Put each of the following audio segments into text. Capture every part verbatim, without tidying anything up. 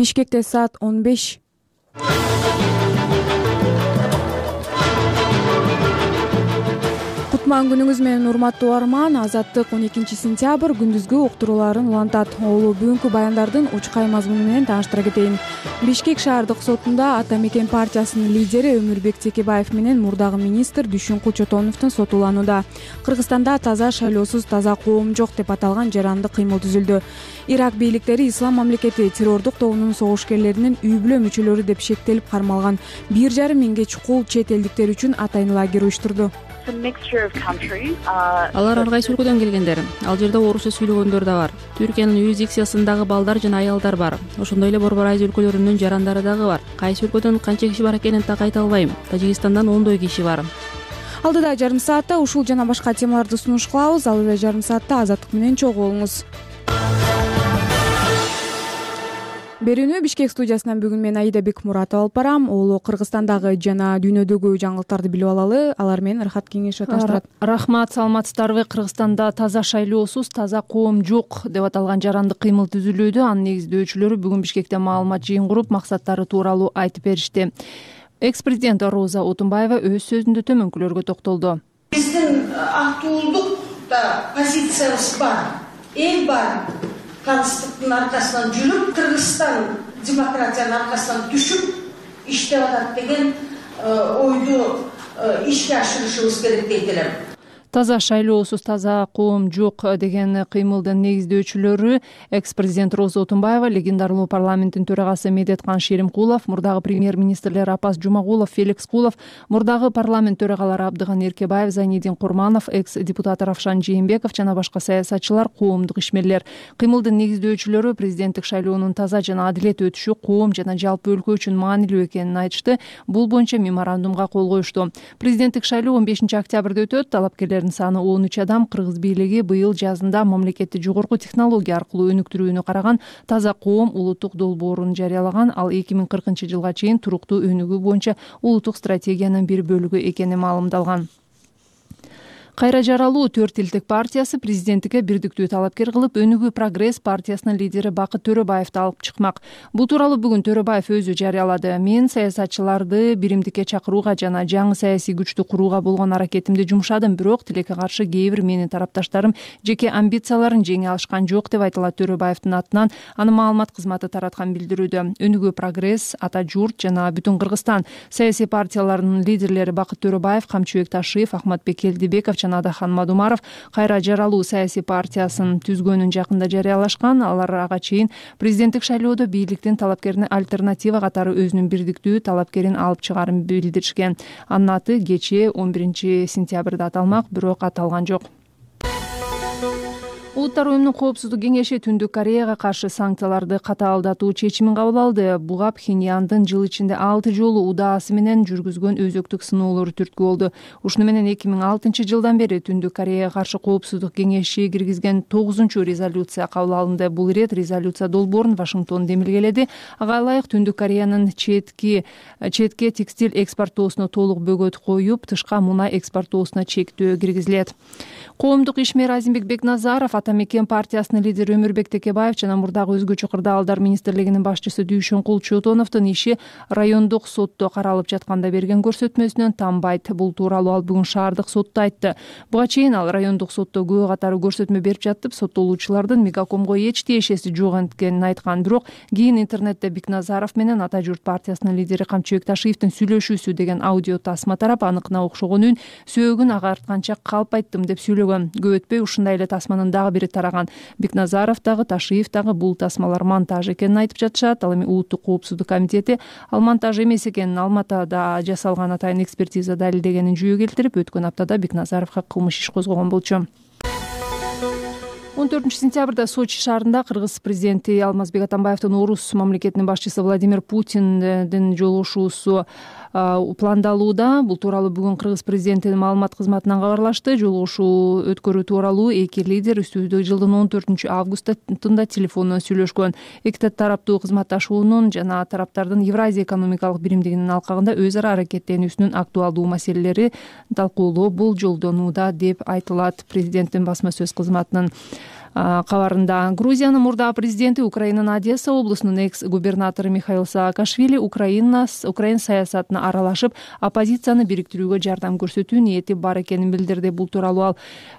Бишкекте саат он беш. Кутман күнүңүз менен урматтуу угарман. Азаттык он экинчи сентябрь күндүзгү уктурууларын улантат. Олу бүгүнкү баяндардын учкай мазмуну менен тааныштыра кетейин. Бишкек шаардык сотунда Ата Мекен партиясынын лидери Өмүрбек Текебаев менен мурдагы министр Дүйшүнкул Чотоновдун сотуланууда. Кыргызстанда таза шайлоосуз таза коом жок деп аталган жарандык кыймыл түзүлдү. Ирак бийликтери Ислам мамлекети террордук тобунун согушкерлеринин үй бүлө мүчөлөрү деп шектелип кармалган бир жарым миңге чукул чет элдиктер үчүн атайын лагерь уюштурду. Алар ар кайсы өлкөдөн келгендер. Ал жерде орусча сүйлөгөндөр да бар. Түркиянын юрисдикциясындагы балдар жана аялдар бар. Ошондой эле Борбор Азия өлкөлөрүнүн жарандары дагы бар. Кайсы өлкөдөн канча киши бар экенин так айта албайм. Тажикстандан ондой киши бар. Алдыда жарым саатта ушул жана башка темаларды сунуш кылабыз. Ал эле жарым саатта Азаттык менен чогуу болуңуз. Берүүнү Бишкек студиясынан бүгүн мен Аида Бекмуратова алып барам. Олу Кыргызстандагы жана дүйнөдөгү жаңылыктарды билип алалы. Алар менен Рахат Кеңешев таштырат. Рахмат, саламатсыздарбы? Кыргызстанда таза шайлоосуз таза коом жок деп аталган жарандык кыймыл түзүлүүдө. Анын негиздөөчүлөрү бүгүн Бишкекте маалымат жыйын куруп, максаттары тууралуу айтып беришти. Экс-президент Роза Отунбаева өз сөзүндө төмөнкүлөргө токтолду. Биздин актуулдукта позициябыз бар, эл бар. Калыстыктын аркасынан жүрүп, Кыргызстан демократиянын аркасынан түшүп иштеп атат деген ойду ишке ашырышыбыз керек дейт элем. Таза шайлоосуз таза коом жок деген кыймылдын негиздөөчүлөрү экс-президент Роза Отунбаева, легендарлуу парламенттин төрагасы Медеткан Шеримкулов, мурдагы премьер-министрлер Апас Жумагулов, Феликс Кулов, мурдагы парламент төрагалары Абдыган Эркебаев, Зайнидин Курманов, экс-депутат Равшан Жээнбеков жана башка саясатчылар, коомдук ишмерлер. Кыймылдын негиздөөчүлөрү президенттик шайлоонун таза жана адилет өтүшү коом жана жалпы өлкө үчүн маанилүү экенин айтышты. Бул боюнча меморандумга кол коюшту. Президенттик шайлоо он бешинчи октябрда өтөт. Талапкерлер саны он үч адам. Кыргыз бийлиги быйыл жазында мамлекетти жогорку технология аркылуу өнүктүрүүнү караган таза коом улуттук долбоорун жарыялаган. Ал эки миң кыркынчы жылга чейин туруктуу өнүгүү боюнча улуттук стратегиянын бир бөлүгү экени маалымдалган. Кайра жаралуу төрт элдик партиясы президенттикке бирдиктүү талапкер кылып, Өнүгүү Прогресс партиясынын лидери Бакыт Төрөбаевди алып чыкмак. Бул тууралуу бүгүн Төрөбаев өзү жарыялады. Мен саясатчыларды биримдикке чакырууга жана жаңы саясий күчтү курууга болгон аракетимди жумшадым, бирок тилекке каршы кээ бир менин тарапташтарым жеке амбицияларын жеңе алышкан жок деп айтылат Төрөбаевдин атынан. Анын маалымат кызматы тараткан билдирүүдө. Өнүгүү Прогресс, Ата Журт жана Бүтүн Кыргызстан саясий партияларынын лидерлери Бакыт Төрөбаев, Камчыбек Ташиев, Ахматбек Келдибеков Адахан Мадумаров кайра жаралуу саясий партиясын түзгөнүн жакында жарыялашкан. Алар ага чейин президенттик шайлоодо бийликтин талапкерине альтернатива катары өзүнүн бирдиктүү талапкерин алып чыгаарын билдиришкен. Анын аты кечээ он биринчи сентябрда аталмак, бирок аталган жок. Улуттар уюмунун коопсуздук кеңеши Түндүк Кореяга каршы санкцияларды катаалдатуу чечимин кабыл алды. Буга Пхеньяндын жыл ичинде алты жолу удаасы менен жүргүзгөн өзөктүк сыноолору түрткү болду. Ушуну менен эки миң алтынчы жылдан бери Түндүк Кореяга каршы коопсуздук кеңеши киргизген тогузунчу резолюция кабыл алынды. Бул ирет резолюция долбоорун Вашингтон демилгеледи. Ага ылайык Түндүк Кореянын четки четке текстиль экспортоосуна толук бөгөт коюп, тышка мунай экспортоосуна чектөө киргизилет. Коомдук ишмер Азимбек Бекназаров, Ата Мекен партиясынын лидери Өмүрбек Текебаев жана мурдагы өзгөчө кырдаалдар министрлигинин башчысы Дүйшүнкул Чотоновдун иши райондук сотто каралып жатканда берген көрсөтмөсүнөн танбайт. Бул тууралуу ал бүгүн шаардык сотто айтты. Буга чейин ал райондук сотто күбө катары көрсөтмө берип жатып, соттолуучулардын Мегакомго эч тиешеси жок экенин айткан. Бирок кийин интернетте Бекназаров менен Ата Журт партиясынын лидери Камчыбек Ташиевдин сүйлөшүүсү деген аудио тасма тарап, аныкына окшогон үн сөөгүн агартканча калп айттым деп сүйлөгөн. Көп өтпөй ушундай эле тасманын дагы бири тараган. Бекназаров дагы, Ташиев дагы бул тасмалар монтаж экенин айтып жатышат. Ал эми Улуттук коопсуздук комитети ал монтаж эмес экенин, Алматада жасалган атайын экспертиза далилдегенин жүйө келтирип, өткөн аптада Бекназаровго кылмыш иш козгогон болчу. он төртүнчү сентябрда Сочи шаарында Кыргыз президенти Алмазбек Атамбаевдин орус мамлекетинин башчысы Владимир Путиндин жолугушуусу пландалууда. Бул тууралуу бүгүн Кыргыз президентинин маалымат кызматынан кабарлашты. Жолугушуу өткөрүү тууралуу эки лидер үстүбүздө жылдын он төртүнчү августунда телефондон сүйлөшкөн. Эки тараптуу кызматташуунун жана тараптардын Евразия экономикалык биримдигинин алкагында өз ара аракеттенүүсүнүн актуалдуу маселелери талкуулоо бул жолдонууда деп айтылат президенттин басма сөз кызматынын кабарында. Грузиянын мурдагы президенти, Украинанын Одесса облусунун экс-губернатору Михаил Саакашвили Украина Украин саясатына аралашып, оппозицияны бириктирүүгө жардам көрсөтүү ниети бар экенин билдирди. Бул тууралуу ал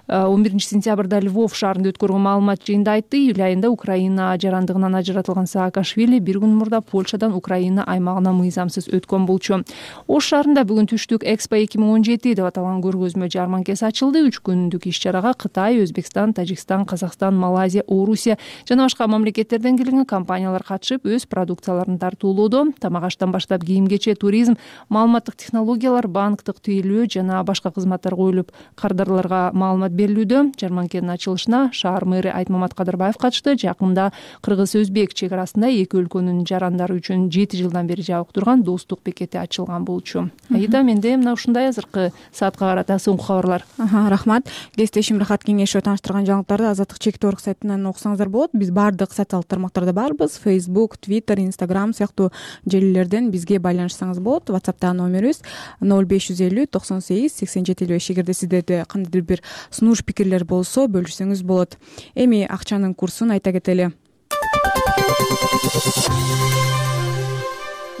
он биринчи сентябрда Львов шаарында өткөргөн маалымат жыйында айтты. Июль айында Украина жарандыгынан ажыратылган Саакашвили бир күн мурда Польшадан Украина аймагына мыйзамсыз өткөн болчу. Ош шаарында бүгүн түштүк Экспо эки миң он жети деп аталган көргөзмө жарманкеси ачылды. Үч күндүк иш-чарага Кытай, Өзбекстан, Тажикстан, Казакстан, Малайзия, Орусия жана башка мамлекеттерден келген компаниялар катышып, өз продукцияларын тартуулоодо. Тамак-аштан баштап кийим-кечек, туризм, маалыматтык технологиялар, банктык тейлөө жана башка кызматтар коюлуп, кардарларга маалымат берилүүдө. Жарманкенин ачылышына шаар мэри Айтмамат Кадырбаев катышты. Жакында Кыргыз-Өзбек чек арасында эки өлкөнүн жарандары үчүн жети жылдан бери жабык турган достук бекети ачылган болчу. Аида, менде мына ушундай азыркы саатка карата соңку кабарлар. Рахмат. Кесиптешим Рахат Кеңешова тааныштырган жаңылыктарды Азаттык чектүү орг сайтынан окусаңыздар болот. Биз баардык социалдык тармактарда барбыз. Facebook, Twitter, Instagram сыяктуу желилерден бизге байланышсаңыз болот. WhatsApp'та номерибиз ноль беш жүз элүү токсон сегиз сексен жети элүү беш. Эгерде сиздерде кандайдыр бир сунуш пикирлер болсо, бөлүшсөңүз болот. Эми акчанын курсун айта кетели.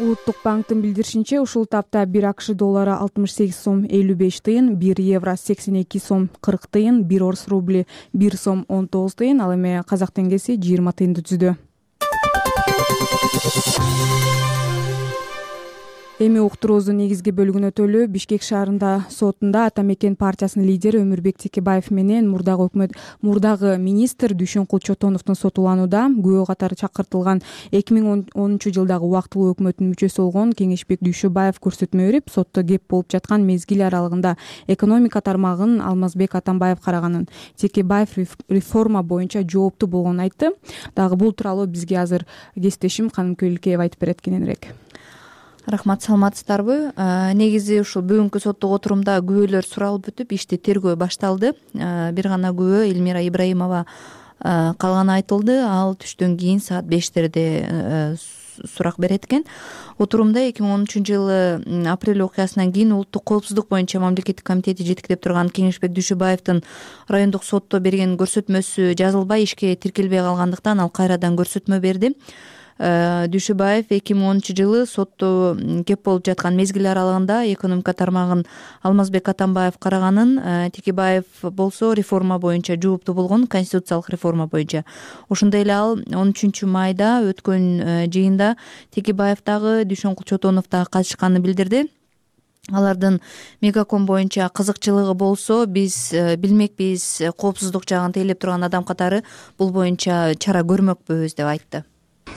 Улуттук банктын билдиришинче, ушул тапта бир АКШ доллары алтымыш сегиз сом элүү беш тыйын, бир евро сексен эки сом кырк тыйын, бир орус рубли бир сом он тогуз тыйын, ал эми казак теңгеси жыйырма тыйынды түздү. Эми уктуруубуздун негизги бөлүгүнө өтөлү. Бишкек шаарында сотунда Ата Мекен партиясынын лидери Өмүрбек Текебаев менен мурдагы өкмөт мурдагы министр Дүйшөнкул Чотоновдун сотуланууда. Күбө катары чакыртылган эки миң онунчу жылдагы убактылуу өкмөттүн мүчөсү болгон Кеңешбек Дүйшөбаев көрсөтмө берип, сотто кеп болуп жаткан мезгил аралыгында экономика тармагын Алмазбек Атамбаев караганын, Текебаев реформа боюнча жооптуу болгонун айтты. Дагы бул тууралуу бизге азыр кесиптешим Каным Көлүкеева айтып берет кененирээк. Рахмат, саламатсыздарбы? Негизи ушул бүгүнкү соттук отурумда күбөлөр суралып бүтүп, ишти тергөө башталды. Бир гана күбө Элмира Ибраимова калганы айтылды. Ал түштөн кийин саат бештерде сурак берет экен. Отурумда эки миң он үчүнчү жылы апрель окуясынан кийин улуттук коопсуздук боюнча мамлекеттик комитети жетектеп турган Кеңешбек Дүйшөбаевдин райондук сотто берген көрсөтмөсү жазылбай, ишке тиркелбей калгандыктан ал кайрадан көрсөтмө берди. Дүйшөбаев эки миң онунчу жылы сотто кеп болуп жаткан мезгил аралыгында экономика тармагын Алмазбек Атамбаев караганын, Текебаев болсо реформа боюнча жооптуу болгон, конституциялык реформа боюнча. Ошондой эле ал он үчүнчү майда өткөн жыйында Текебаев дагы, Дүйшөнкул Чотонов дагы катышканын билдирди. Алардын мегаком боюнча кызыкчылыгы болсо, биз билмекпиз, коопсуздук жагын тейлеп турган адам катары бул боюнча чара көрмөкпүз деп айтты.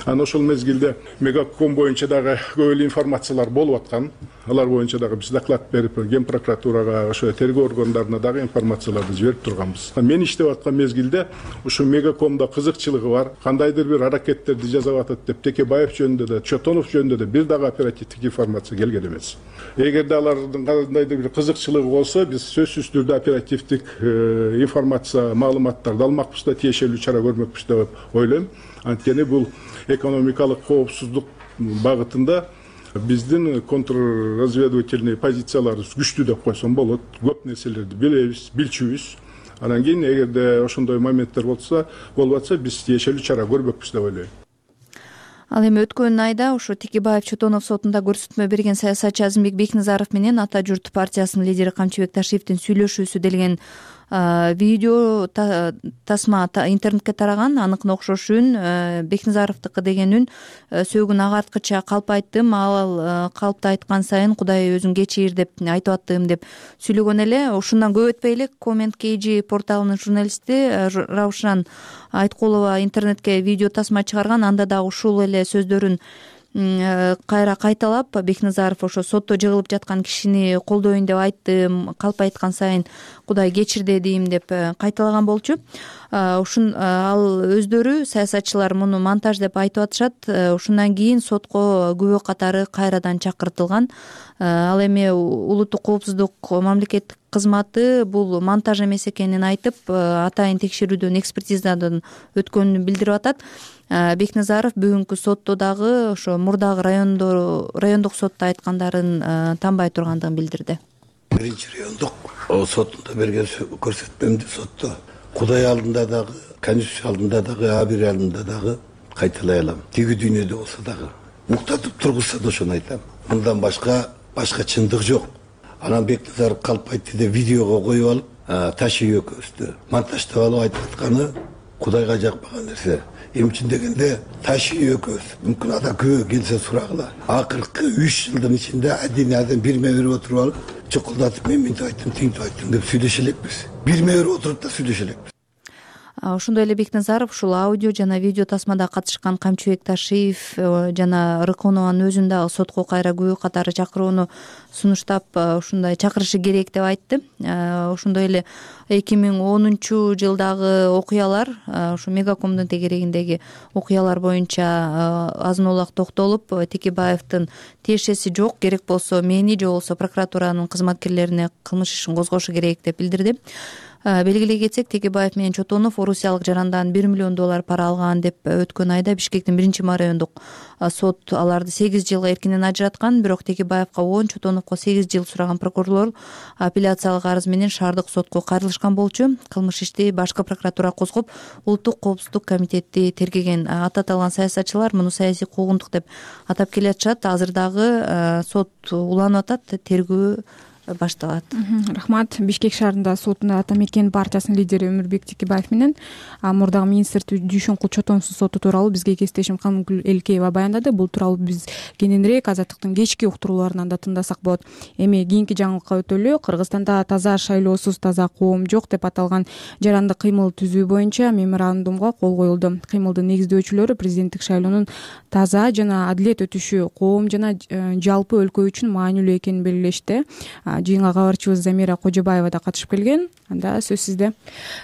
Анан ошол мезгилде мегаком боюнча дагы көп эле информациялар болуп аткан. Алар боюнча дагы биз доклад берип, Ген прокуратурага, ошо тергөө органдарына дагы информацияларды жиберип турганбыз. Мен иштеп аткан мезгилде ушу мегакомдо кызыкчылыгы бар, кандайдыр бир аракеттерди жасап атат деп Текебаев жөнүндө да, Чотонов жөнүндө да бир дагы оперативдик информация келген эмес. Эгерде алардын кандайдыр бир кызыкчылыгы болсо, биз сөзсүз түрдө оперативдик информация, маалыматтарды алмакпыз да, тиешелүү чара көрмөкпүз деп ойлойм. Анткени бул экономикалык коопсуздук багытында биздин контрразведывательный позицияларыбыз күчтүү деп койсом болот. Көп нерселерди билебиз, билчүбүз. Анан кийин эгерде ошондой моменттер болсо, болуп атса, биз тиешелүү чара көрбөкпүз деп ойлойм. Ал эми өткөн айда ушу Текебаев Чотонов сотунда көрсөтмө берген саясатчы Азымбек Бекназаров менен Ата журт партиясынын лидери Камчыбек Ташиевдин сүйлөшүүсү делген видео тасма интернетке тараган. Аныкына окшош үн Бекназаровдуку деген үн сөөгүн агарткыча калпайттым, ал калпты айткан сайын Кудай өзүн кечир деп айтып аттым деп сүйлөгөн эле. Ушундан көп өтпөй эле Коммент кей жи порталынын журналисти Раушан Айткулова интернетке видео тасма чыгарган. Анда дагы ушул эле сөздөрүн кайра кайталап, Бекназаров ошо сотто жыгылып жаткан кишини колдойюн деп айттым, калп айткан сайын Кудай кечирде дейм деп кайталаган болчу. Ушун ал өздөрү саясатчылар муну монтаж деп айтып атышат. Ушундан кийин сотко күбө катары кайрадан чакыртылган. Ал эми улуттук коопсуздук мамлекеттик кызматы бул монтаж эмес экенин айтып, атайын текшерүүдөн, экспертизадан өткөнүн билдирип атат. Бекназаров бүгүнкү сотто дагы ошо мурдагы райондо райондук сотто айткандарын танбай тургандыгын билдирди. Биринчи райондук сотунда берген көрсөтмөмдү сотто Кудай алдында дагы конституциялында дагы а бир алымда дагы кайталай алам. Тиги дүйнөдө болсо дагы уктатып тургузса да ошону айтам. Мындан башка башка чындык жок. Анан Бекназаров калп айтты деп видеого коюп алып, Таши экөөбүздү монтаждап алып айтып атканы Кудайга жакпаган нерсе. Эмчи дегенде Таши экөөбүз мүмкүн ада күбө келсе сурагыла. Акыркы үч жылдын ичинде адин аден бирме берип отуруп алып, чукулдатып мен мынтип айттым, тинтип айттым деп сүйлөшө элекпиз. Бирме берип отуруп да сүйлөшө элекпиз. Ошондой эле Бекназаров ушул аудио жана видео тасмада катышкан Камчыбек Ташиев жана Рыконованын өзүн дагы сотко кайра күбө катары чакырууну сунуштап ушундай чакырышы керек деп айтты. Ошондой эле эки миң онунчу жылдагы окуялар, ушу Мегакомдун тегерегиндеги окуялар боюнча азын улак токтолуп, Текебаевдин тиешеси жок, керек болсо мени же болбосо прокуратуранын кызматкерлерине кылмыш ишин козгошу керек деп билдирди. Белгилей кетсек, Текебаев менен Чотонов орусиялык жарандан бир миллион доллар пара алган деп өткөн айда Бишкектин биринчи райондук сот аларды сегиз жылга эркинен ажыраткан. Бирок Текебаевга он, Чотоновго сегиз жыл сураган прокурорлор апелляциялык арыз менен шаардык сотко кайрылышкан болчу. Кылмыш ишти башкы прокуратура козгоп, Улуттук коопсуздук комитети тергеген. Аты аталган саясатчылар муну саясий куугунтук деп атап келатышат. Азыр дагы сот уланып атат, тергөө башталат. Рахмат. Бишкек шаарында сотунда Ата Мекен партиясынын лидери Өмүрбек Текебаев менен мурдагы министр Дүйшөнкул Чотоновдун соту тууралуу бизге кесиптешим Канымгүл Элкеева баяндады. Бул тууралуу биз кененирээк Азаттыктын кечки уктурууларынан да тыңдасак болот. Эми кийинки жаңылыкка өтөлү. Кыргызстанда таза шайлоосуз таза коом жок деп аталган жарандык кыймыл түзүү боюнча меморандумга кол коюлду. Кыймылдын негиздөөчүлөрү президенттик шайлоонун таза жана адилет өтүшү коом жана жалпы өлкө үчүн маанилүү экенин белгилешти. Жыйынга кабарчыбыз Замира Кожобаева да катышып келген. Анда сөз сизде.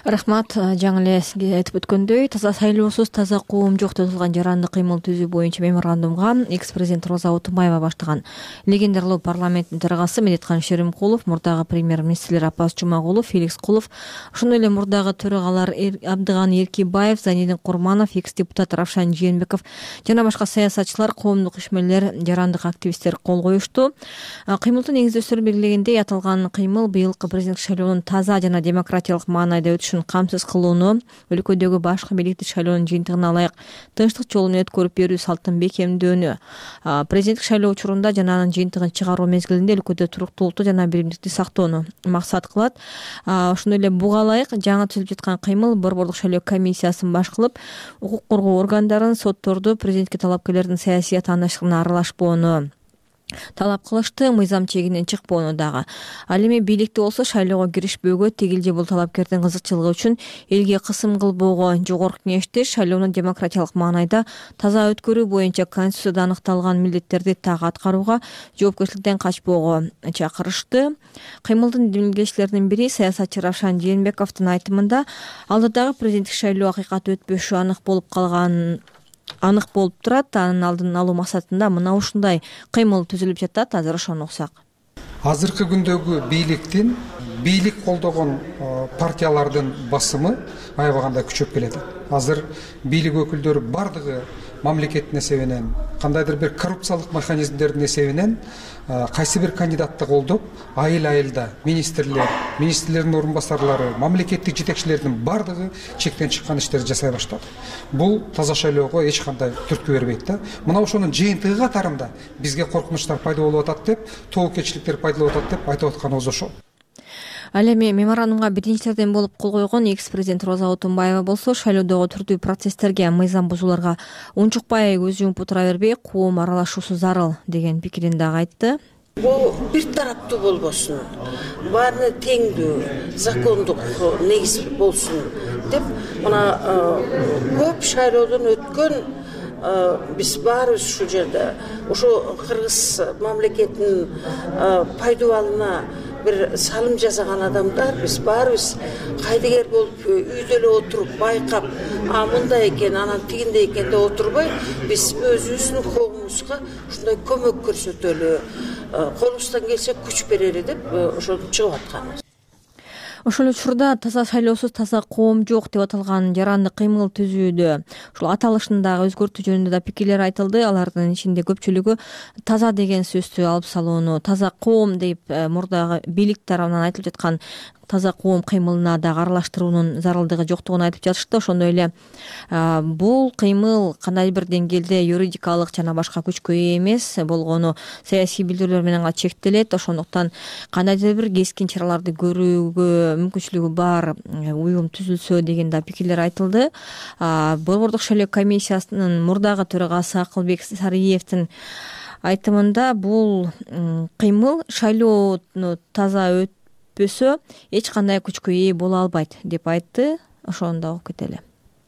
Рахмат. Жаңы эле сизге айтып өткөндөй, таза шайлоосуз таза коом жок деп аталган жарандык кыймыл түзүү боюнча меморандумга экс-президент Роза Отунбаева баштаган. Легендарлуу парламенттин төрагасы Медеткан Шеримкулов, мурдагы премьер-министрлер Апас Жумагулов, Феликс Кулов, ошондой эле мурдагы төрагалар Абдыган Эркибаев, Зайнидин Курманов, экс-депутат Равшан Жээнбеков жана башка саясатчылар, коомдук ишмерлер, жарандык активисттер кол коюшту. Кыймылдын негиздөөчүлөрү белгилегендей, аталган кыймыл быйылкы президенттик шайлоонун таза жана демократиялык маанайда өтүшүн камсыз кылууну, өлкөдөгү башкы бийликтик шайлоонун жыйынтыгына ылайык тынчтык жолу менен өткөрүп берүү салтын бекемдөөнү, президенттик шайлоо учурунда жана анын жыйынтыгын чыгаруу мезгилинде өлкөдө туруктуулукту жана биримдикти сактоону максат кылат. Ошондой эле буга ылайык жаңы түзүлүп жаткан кыймыл борбордук шайлоо комиссиясын баш кылып, укук коргоо органдарын, сотторду президентке талапкерлердин саясий тандашына аралашпоону талап кылышты, мыйзам чегинен чыкпоону дагы. Ал эми бийликти болсо шайлоого киришпөөгө, тигил же бул талапкердин кызыкчылыгы үчүн элге кысым кылбоого, жогорку кеңешти шайлоону демократиялык маанайда таза өткөрүү боюнча конституцияда аныкталган милдеттерди так аткарууга, жоопкерчиликтен качпоого чакырышты. Кыймылдын демилгечилеринин бири саясатчы Равшан Жээнбековдун айтымында, алдыдагы президенттик шайлоо акыйкат өтпөшү анык болуп калган анык болуп турат. Анын алдын алуу максатында мына ушундай кыймыл түзүлүп жатат. Азыр ошону уксак. Азыркы күндөгү бийликтин бийлик колдогон партиялардын басымы аябаганда күчөп келет. Азыр бийлик өкүлдөрү бардыгы мамлекеттин эсебинен, кандайдыр бир коррупциялык механизмдердин эсебинен кайсы бир кандидатты колдоп, айыл-айылда министрлер, министрлердин орун басарлары, мамлекеттик жетекчилердин бардыгы чектен чыккан иштерди жасай баштады. Бул таза шайлоого эч кандай түрткү бербейт да. Мына ошонун жыйынтыгы катарында бизге коркунучтар пайда болуп атат деп, тобокелчиликтер пайда болуп атат деп айтып атканыбыз ошол. Ал эми меморандумга биринчилерден болуп кол койгон экс-президент Роза Отунбаева болсо, шайлоодогу түрдүү процесстерге, мыйзам бузууларга унчукпай көз жумуп отура бербей, коом аралашуусу зарыл деген пикирин дагы айтты. Бул бир тараптуу болбосун, баарына теңдүү, закондук негиз болсун деп, мына көп шайлоодон өткөн биз баарыбыз ушул жерде, ошо кыргыз мамлекетинин пайдубалына бир салым жасаган адамдар, биз баарыбыз кайдыгер болуп үйдө эле отуруп байкап, а мындай экен, анан тигиндей экен деп отурбай, биз өзүбүздүн коомубузга ушундай көмөк көрсөтөлү, колубуздан келсе күч берели деп ошентип чыгып атканбыз. Ошол учурда таза шайлоосуз таза коом жок деп аталган жарандык кыймыл түзүүдө ушул аталышын дагы өзгөртүү жөнүндө да пикирлер айтылды. Алардын ичинде көпчүлүгү таза деген сөздү алып салууну, таза коом деп мурдагы бийлик тарабынан айтылып жаткан таза коом кыймылына дагы аралаштыруунун зарылдыгы жоктугун айтып жатышты. Ошондой эле бул кыймыл кандай бир деңгээлде юридикалык жана башка күчкө ээ эмес, болгону саясий билдирүүлөр менен гана чектелет. Ошондуктан кандайдыр бир кескин чараларды көрүүгө мүмкүнчүлүгү бар уюм түзүлсө деген да пикирлер айтылды. Борбордук шайлоо комиссиясынын мурдагы төрагасы Акылбек Сариевдин айтымында бул кыймыл шайлоону таза өтпөсө эч кандай күчкө ээ боло албайт деп айтты. Ошону да окуп кетели.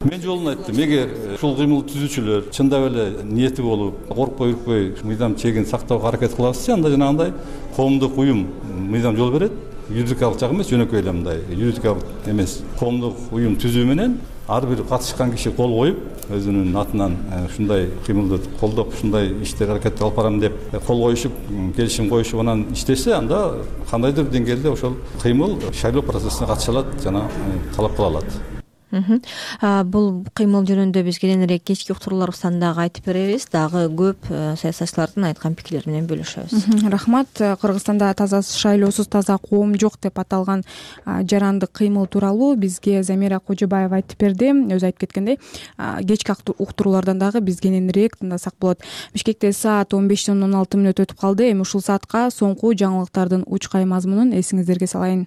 Мен жолун айттым, эгер ушул кыймыл түзүүчүлөр чындап эле ниети болуп, коркпой үркпөй мыйзам чегин сактоого аракет кылабызчы, анда жанагындай коомдук уюм мыйзам жол берет. Юридикалык жагы эмес, жөнөкөй эле мындай юридикалык эмес коомдук уюм түзүү менен ар бир катышкан киши кол коюп, өзүнүн атынан ушундай кыймылды колдоп, ушундай ишти аракет алып барам деп кол коюшуп, келишим коюшуп анан иштесе, анда кандайдыр деңгээлде ошол кыймыл шайлоо процессине катыша алат жана талап кыла алат. Бул кыймыл жөнүндө биз кийинирээк кечки уктурууларыбыздан дагы айтып беребиз. Дагы көп саясатчылардын айткан пикирлери менен бөлүшөбүз. Рахмат. Кыргызстанда таза шайлоосуз таза коом жок деп аталган жарандык кыймыл тууралуу бизге Замира Кожобаева айтып берди. Өзү айтып кеткендей, кечки уктуруулардан дагы биз кийинирээк тыңдасак болот. Бишкекте саат он бештен он алты мүнөт өтүп калды. Эми ушул саатка соңку жаңылыктардын учкай мазмунун эсиңиздерге салайын.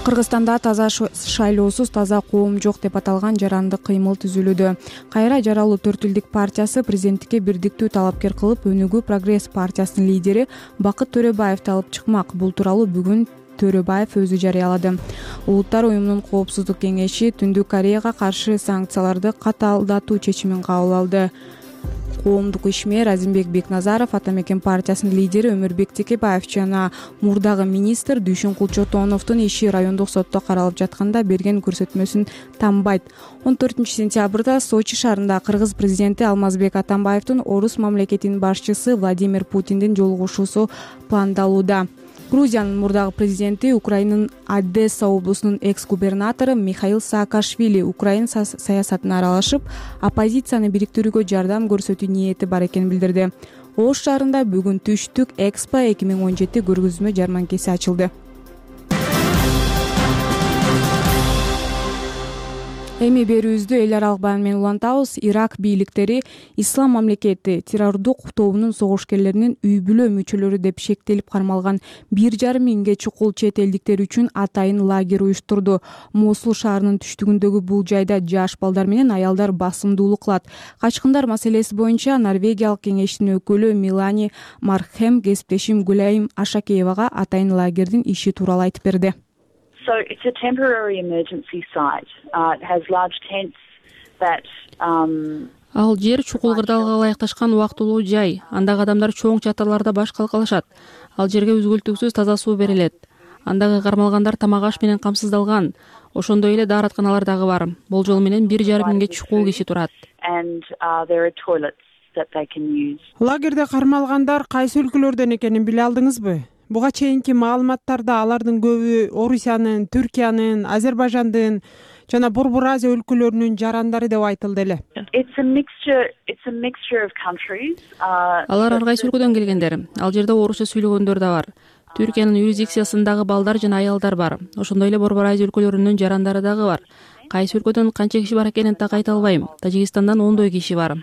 Кыргызстанда таза шайлоосуз таза коом жок деп аталган жарандык кыймыл түзүлүүдө. Кайра жаралуу төрт элдик партиясы президенттикке бирдиктүү талапкер кылып, өнүгүү Прогресс партиясынын лидери Бакыт Төрөбаевди алып чыкмак. Бул тууралуу бүгүн Төрөбаев өзү жарыялады. Улуттар уюмунун коопсуздук кеңеши Түндүк Кореяга каршы санкцияларды катаалдатуу чечимин кабыл алды. Коомдук ишмер Азимбек Бекназаров Ата Мекен партиясынын лидери Өмүрбек Текебаев жана мурдагы министр Дүйшүн Кулчотоновдун иши райондук сотто каралып жатканда берген көрсөтмөсүн танбайт. он төртүнчү сентябрда Сочи шаарында Кыргыз президенти Алмазбек Атамбаевдин орус мамлекетинин башчысы Владимир Путиндин жолугушуусу пландалууда. Грузиянын мурдагы президенти Украинанын Одесса облусунун экс-губернатору Михаил Саакашвили Украина саясатына аралашып, оппозицияны бириктирүүгө жардам көрсөтүү ниети бар экенин билдирди. Ош шаарында бүгүн Түштүк Экспо эки миң он жети көргөзмө жарманкеси ачылды. Эми берүүбүздү эл аралык баян менен улантабыз. Ирак бийликтери Ислам мамлекети террордук тобунун согушкерлеринин үй бүлө мүчөлөрү деп шектелип кармалган бир жарым миңге чукул чет элдиктер үчүн атайын лагерь уюштурду. Мосул шаарынын түштүгүндөгү бул жайда жаш балдар менен аялдар басымдуулук кылат. Качкындар маселеси боюнча Норвегиялык кеңештин өкүлү Милани Мархем кесиптешим Гулайым Ашакеевага атайын лагердин иши тууралуу айтып берди. So it's a temporary emergency site. Uh, it has large tents that um Ал жер чукул кырдаалга ылайыкташкан убактылуу жай. Андагы адамдар чоң чатырларда баш калкалашат. Ал жерге үзгүлтүксүз таза суу берилет. Андагы кармалгандар тамак аш менен камсыздалган. Ошондой эле дааратканалар дагы бар. Болжол менен бир жарым миңге чукул киши турат. And uh, there are toilets that they can use. Лагерде кармалгандар кайсы өлкөлөрдөн экенин биле алдыңызбы? Буга чейинки маалыматтарда алардын көбү Орусиянын, Түркиянын, Азербайжандын жана Борбор Азия өлкөлөрүнүн жарандары деп айтылды эле. It's a mixture, it's a mixture of countries. Алар ар кайсы өлкөдөн келгендер. Ал жерде орусча сүйлөгөндөр да бар. Түркиянын юрисдикциясындагы балдар жана аялдар бар. Ошондой эле Борбор Азия өлкөлөрүнүн жарандары дагы бар. Кайсы өлкөдөн канча киши бар экенин так айта албайм. Тажикстандан ондой киши бар.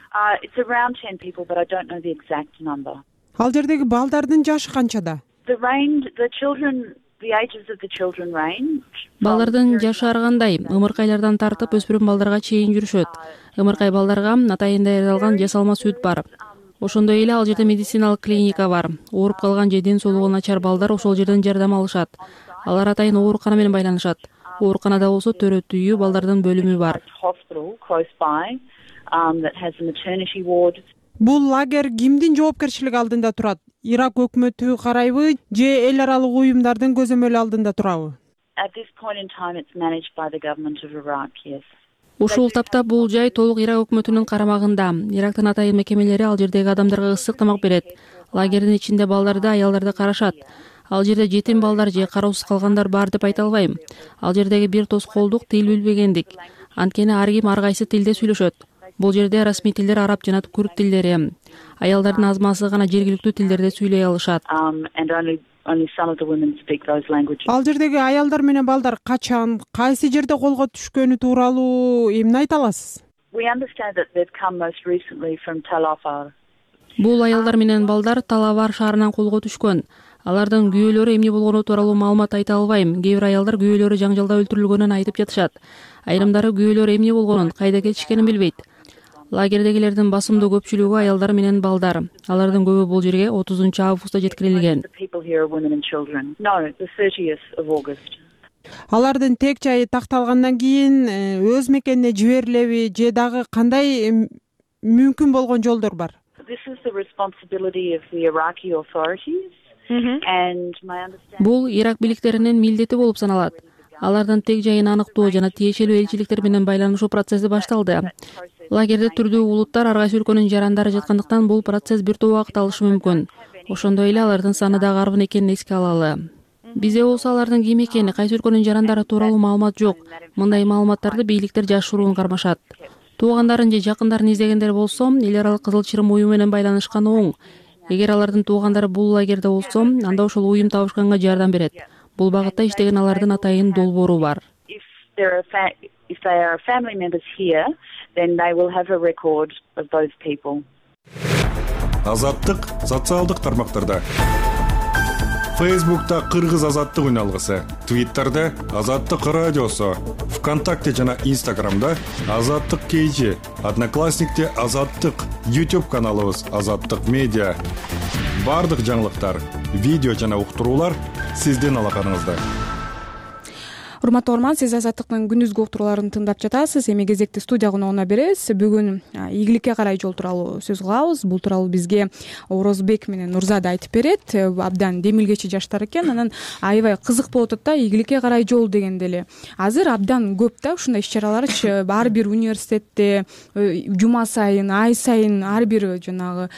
It's around ten people, but I don't know the exact number. Ал жердеги балдардын жашы канчада? The range, the children, the ages of the children range. Балдардын жашы ар кандай, ымыркайлардан тартып өспүрүм балдарга чейин жүрүшөт. Ымыркай балдарга атайын даярдалган жасалма сүт бар. Ошондой эле ал жерде медициналык клиника бар. Ооруп калган же ден соолугу начар балдар ошол жерден жардам алышат. Алар атайын оорукана менен байланышат. Ооруканада болсо төрөт үйү, балдардын бөлүмү бар. Бул лагерь кимдин жоопкерчилиги алдында турат? Ирак өкмөтү карайбы же эл аралык уюмдардын көзөмөлү алдында турабы? Ушул тапта бул жай толук Ирак өкмөтүнүн карамагында. Ирактын атайын мекемелери ал жердеги адамдарга ысык тамак берет. Лагердин ичинде балдарды, аялдарды карашат. Ал жерде жетим балдар же кароосуз калгандар бар деп айта албайм. Ал жердеги бир тоскоолдук тил билбегендик. Анткени ар ким ар кайсы тилде сүйлөшөт. Лагердин ичинде балдар, аялдар, жаш балдар, жашоодон кайрылган, ар кайсы өздөрүнүн өлкөсүндө жашашат. Ошондой эле лагердин ичинде Бул жерде расмий тилдер араб жана күрд тилдери. Аялдардын азмасы гана жергиликтүү тилдерде сүйлөй алышат. Ал жердеги аялдар менен балдар качан, кайсы жерде колго түшкөнү тууралуу эмне айта аласыз? Бул аялдар менен балдар Талавар шаарынан колго түшкөн. Алардын күйөөлөрү эмне болгону тууралуу маалымат айта албайм. Кээ бир аялдар күйөөлөрү жаңжалда өлтүрүлгөнүн айтып жатышат. Айрымдары күйөөлөрү эмне болгонун, кайда кетишкенин билбейт. Лагердегилердин басымдуу көпчүлүгү аялдар менен балдар. Алардын көбү бул жерге отузунчу августта жеткирилген. Алардын тек жайы такталгандан кийин өз мекенине жиберилеби же дагы кандай мүмкүн болгон жолдор бар? Бул Ирак бийликтеринин милдети болуп саналат. Алардын тег жайын аныктоо жана тиешелүү элчиликтер менен байланышуу процесси башталды. Лагерде түрдүү улуттар, ар кайсы өлкөнүн жарандары жаткандыктан бул процесс бир топ убакыт алышы мүмкүн. Ошондой эле алардын саны дагы арбын экенин эске алалы. Бизде болсо алардын ким экени, кайсы өлкөнүн жарандары тууралуу маалымат жок. Мындай маалыматтарды бийликтер жашыруун кармашат. Туугандарын же жакындарын издегендер болсо, эл аралык Кызыл Чырым уюму менен байланышкан оң. Эгер алардын туугандары бул лагерде болсо, анда ошол уюм табышканга жардам берет. Бул багытта иштеген алардын атайын долбоору бар. Азаттык социалдык тармактарда. Фейсбукта Кыргыз азаттык үналгысы, Твиттерде Азаттык радиосу, ВКонтакте жана Инстаграмда Азаттык кейжи, Одноклассникте Азаттык, YouTube каналыбыз Азаттык медиа. Бардык жаңылыктар, видео жана уктуруулар сиздин алаканыңызда. Урматтуу угарман, сиз Азаттыктын күндүзгү уктурууларын тыңдап жатасыз. Эми кезекти студия коногуна беребиз. Бүгүн ийгиликке карай жол тууралуу сөз кылабыз. Бул тууралуу бизге Орозбек менен Нурзада айтып берет. Абдан демилгечи жаштар экен. Анан аябай кызык болуп атат да, ийгиликке карай жол дегенде эле. Азыр абдан көп да ушундай иш-чараларчы ар бир университетте жума сайын, ай сайын ар бир жанагы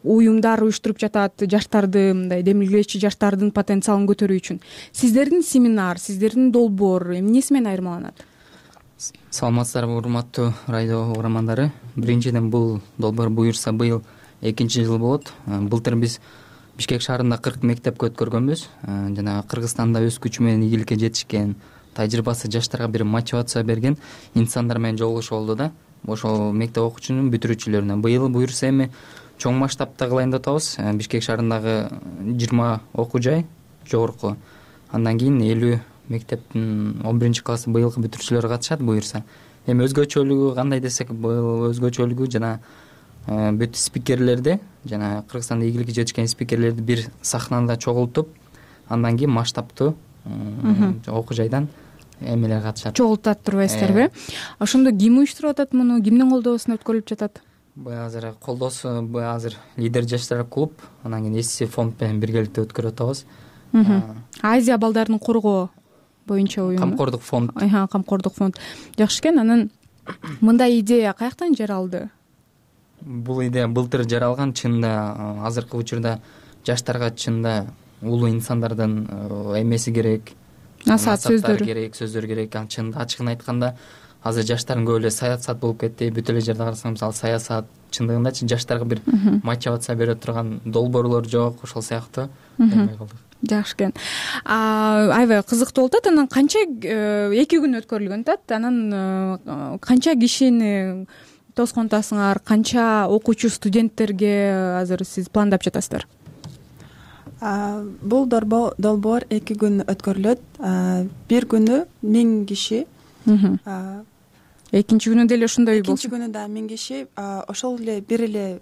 уюмдар уюштуруп жатат жаштарды, мындай демилгечи жаштардын потенциалын көтөрүү үчүн. Сиздердин семинар, сиздердин долбоор эмнеси менен айырмаланат? Саламатсыздарбы, урматтуу радио угармандары. Биринчиден, бул долбоор буюрса быйыл экинчи жыл болот. Былтыр биз Бишкек шаарында кырк мектепке өткөргөнбүз. Жана Кыргызстанда өз күчү менен ийгиликке жетишкен, тажрыйбасы жаштарга бир мотивация берген инсандар менен жолугушуу болду да. Ошол мектеп окуучунун бүтүрүүчүлөрүнө. Быйыл буюрса эми чоң масштабта кылайын деп атабыз. Бишкек шаарындагы жыйырма окуу жай жогорку. Андан кийин элүү мектептин он биринчи классы быйылкы бүтүрүүчүлөрү катышат буюрса. Эми өзгөчөлүгү кандай десек, быйыл өзгөчөлүгү жана бүт спикерлерди, жана Кыргызстанда ийгиликке жетишкен спикерлерди бир сахнада чогултуп, андан кийин масштабтуу окуу жайдан эмелер катышат. Чогултат турбайсыздарбы? Ошондо ким уюштуруп атат муну? Кимдин колдоосуна өткөрүлүп жатат? Бу азыр колдоосу, бу азыр Лидер жаштар клуб, анан кийин эс фонд менен биргеликте өткөрүп атабыз. Азия балдарын коргоо боюнча уюм. Камкордук фонд. Айха, камкордук фонд. Жакшы экен. Анан мындай идея каяктан жаралды? Бул идея былтыр жаралган. Чынында азыркы учурда жаштарга чынында улуу инсандардын эмеси керек, насаат сөздөр керек, сөздөр керек. Ал чынында ачыгын айтканда азыр жаштардын көбү эле саясат болуп кетти. Бүт эле жерде карасаң, мисалы саясат чындыгындачы жаштарга бир мотивация бере турган долбоорлор жок, ошол сыяктуу эмне кылдык. Жакшы экен. Аябай кызыктуу болуп атат. Анан канча эки күн өткөрүлгөн атат. Анан канча кишини тосконтасыңар, канча окуучу студенттерге азыр сиз пландап жатасыздар? Бул долбоор эки күн өткөрүлөт. Бир күнү миң киши. Экинчи күнү деле ошондой болсун. Экинчи күнү да миң киши, ошол эле бир эле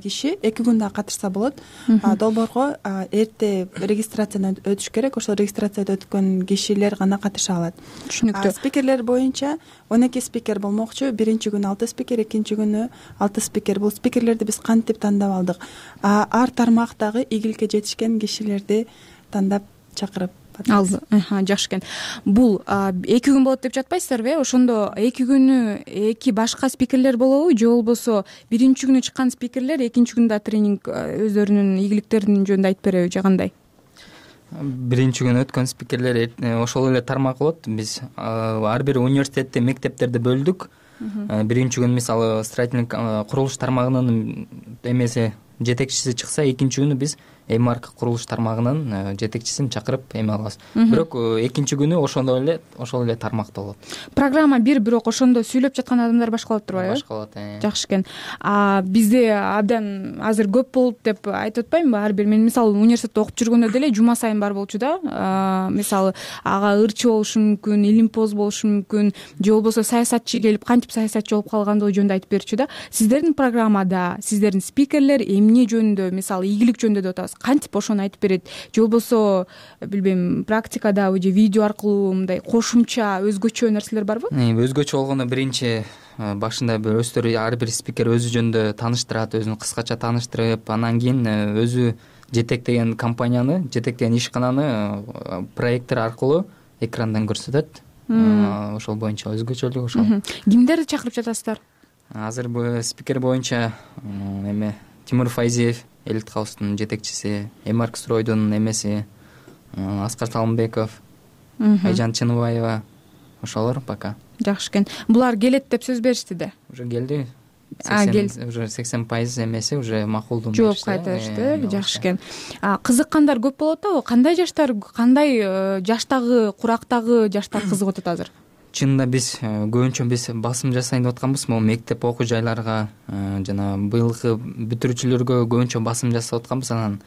киши эки күн да катышса болот. Долбоорго эрте регистрациядан өтүш керек. Ошол регистрациядан өткөн кишилер гана катыша алат. Түшүнүктүү. Спикерлер боюнча он эки спикер болмокчу. Биринчи күнү алты спикер, экинчи күнү алты спикер. Бул спикерлерди биз кантип тандап алдык? Ар тармактагы ийгиликке жетишкен кишилерди тандап чакырып алды. Жакшы экен. Бул эки күн болот деп жатпайсыздарбы? Ошондо эки күнү эки башка спикерлер болобу же болбосо биринчи күнү чыккан спикерлер экинчи күндө тренинг өздөрүнүн ийгиликтеринин жөнүндө айтып береби же кандай? биринчи күнү өткөн спикерлер ошол эле тармак болот. Биз ар бир университетте, мектептерде бөлдүк. Биринчи күнү мисалы строительный курулуш тармагынын эмеси жетекчиси чыкса, экинчи күнү биз эмарк курулуш тармагынын жетекчисин чакырып эме алабыз. Бирок экинчи күнү ошондой эле ошол эле тармакта болот. Программа бир, бирок ошондо сүйлөп жаткан адамдар башкалап турбайбы? Башкалат. Жакшы экен. А бизде абдан азыр көп болуп деп айтып атпаймынбы? Ар бир мен мисалы университетте окуп жүргөндө деле жума сайын бар болчу да. Мисалы ага ырчы болушу мүмкүн, илимпоз болушу мүмкүн, же болбосо саясатчы келип кантип саясатчы болуп калгандыгы жөнүндө айтып берчү да. Сиздердин программада сиздердин спикерлер эмне жөнүндө, мисалы ийгилик жөнүндө деп атабыз, кантип ошону айтып берет, же болбосо билбейм практикадабы же видео аркылуу мындай кошумча өзгөчө нерселер барбы? Өзгөчө болгондо биринчи башында бир өздөрү ар бир спикер өзү жөнүндө тааныштырат, өзүн кыскача тааныштырып, анан кийин өзү жетектеген компанияны, жетектеген ишкананы проекттер аркылуу экрандан көрсөтөт. Ошол боюнча өзгөчөлүгү ошол. Кимдерди чакырып жатасыздар? Азыр бул спикер боюнча эме Тимур Файзиев, Элит Хаустун жетекчиси, Эмарк стройдун эмеси, Аскар Салымбеков, Айжан Чыныбаева, ошолор пока. Жакшы экен. Булар келет деп сөз беришти да? Уже келди. Уже сексен пайыз эмеси уже макулдуу жооп кайтарышты. Жакшы экен. Кызыккандар көп болот атабы? Кандай жаштар, кандай жаштагы, курактагы жаштар кызыгып атат азыр? Чынында биз көбүнчө биз басым жасайын деп атканбыз. Могу мектеп окуу жайларга жана быйылкы бүтүрүүчүлөргө көбүнчө басым жасап атканбыз. Анан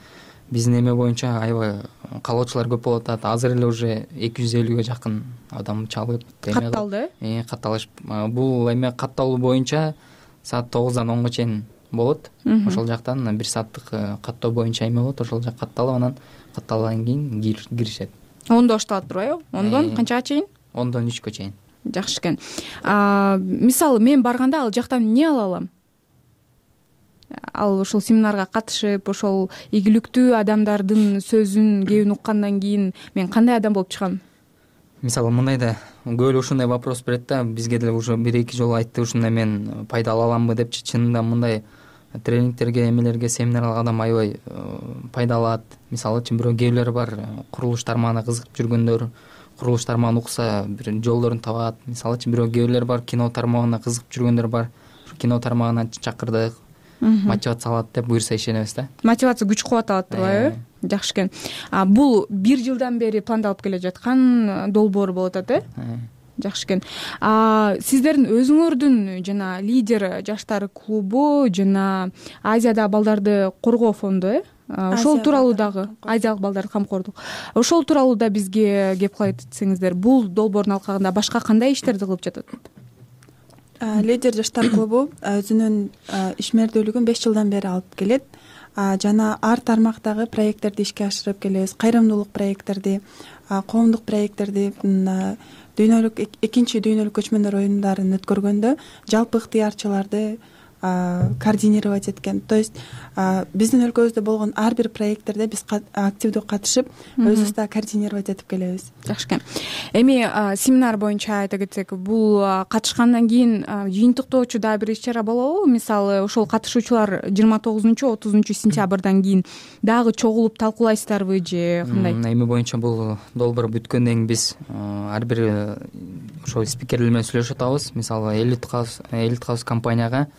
биздин эме боюнча аябай каалоочулар көп болуп атат. Азыр эле уже эки жүз элүүгө жакын адам чалып катталды. Э, катталыш. Бул эме катталуу боюнча саат тогуздан онго чейин болот. Ошол жактан бир сааттык каттоо боюнча эме болот. Ошол жак катталып, анан катталгандан кийин киришет. ондо башталат турбайбы? ондон канчага чейин? ондон үчкө чейин. Жакшы экен. Мисалы мен барганда ал жактан эмне ала алам? Ал ошол семинарга катышып, ошол ийгиликтүү адамдардын сөзүн, кебин уккандан кийин мен кандай адам болуп чыгам? Мисалы мындай да көп эле ушундай вопрос берет да, бизге деле уже бир эки жолу айтты, ушундай мен пайда ала аламбы депчи. Чынында мындай тренингтерге, эмелерге, семинарга адам аябай пайда алат. Мисалычы бирөө кээбилер бар, курулуш тармагына кызыгып жүргөндөр, курулуш тармагын укса бир жолдорун табат. Мисалычы бирөө кээбилер бар, кино тармагына кызыгып жүргөндөр бар. Кино тармагына чакырдык, мотивация алат деп буюрса ишенебиз да. Мотивация күч кубат алат турбайбы? Жакшы экен. Бул бир жылдан бери пландалып келе жаткан долбоор болуп атат, э? Жакшы экен. Сиздердин өзүңөрдүн жана лидер жаштар клубу жана Азиядагы балдарды коргоо фонду, э? Ошол тууралуу дагы азиялык балдарды камкордук. Ошол тууралуу да бизге кеп кылып айтсаңыздар, бул долбоордун алкагында башка кандай иштерди кылып жатат? Лидер жаштар клубу өзүнүн ишмердүүлүгүн беш жылдан бери алып келет. Жана ар тармактагы проекттерди ишке ашырып келебиз. Кайрымдуулук проекттерди, коомдук проекттерди, дүйнөлүк экинчи дүйнөлүк көчмөндөр оюндарын өткөргөндө жалпы ыктыярчыларды координировать эткен. То есть биздин өлкөбүздө болгон ар бир проекттерде биз активдүү катышып, өзүбүз да координировать этип келебиз. Жакшы экен. Эми семинар боюнча айта кетсек, бул катышкандан кийин жыйынтыктоочу дагы бир иш-чара болобу? Мисалы, ошол катышуучулар жыйырма тогузунчу отузунчу сентябрдан кийин дагы чогулуп талкуулайсыздарбы же кандай? Эми боюнча бул долбоор бүткөндөн кийин биз ар бир ошол спикерлер менен сүйлөшүп атабыз. Мисалы, Элит Хаус, Элит Хаус компанияга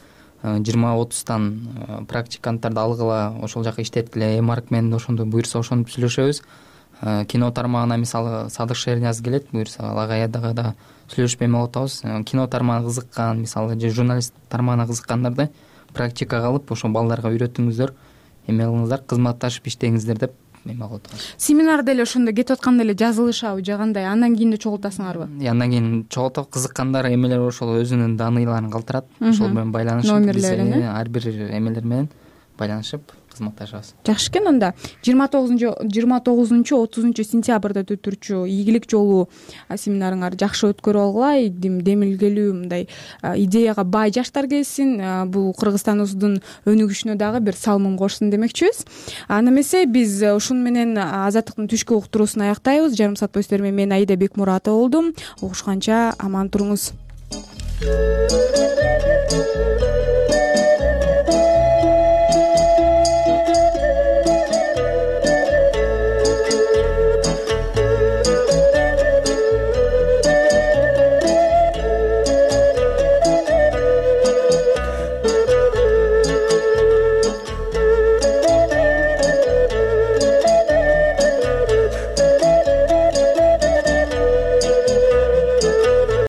жыйырма отуздан практиканттарды алгыла, ошол жака иштеткиле, эмарк менен ошондо буюрса ошентип сүйлөшөбүз. Кино тармагына мисалы Садык Шернияз келет, буюрса ага аядага да сүйлөшүп эме кылып атабыз. Кино тармагына кызыккан, мисалы же журналист тармагына кызыккандарды практикага алып, ошо балдарга үйрөтүңүздөр, эме кылыңыздар, кызматташып иштеңиздер деп эме кылып атабыз. Семинар деле ошондо кетип атканда эле жазылышабы же кандай? Андан кийин да чогултасыңарбы? Андан кийин чогултуп, кызыккандар эмелер ошол өзүнүн даныйларын калтырат, ошол менен байланышып, биз ар бир эмелер менен байланышып кызматташабыз. Жакшы экен. Анда жыйырма тогузунчу отузунчу сентябрда өтүрчү ийгилик жолу семинарыңар жакшы өткөрүп алгыла, демилгелүү мындай идеяга бай жаштар келсин, бул Кыргызстаныбыздын өнүгүшүнө дагы бир салымын кошсун демекчибиз. Аны эмесе биз ушуну менен Азаттыктын түшкү уктуруусун аяктайбыз. Жарым саат бою сиздер менен мен Аида Бекмуратова болдум. Угушканча аман туруңуз.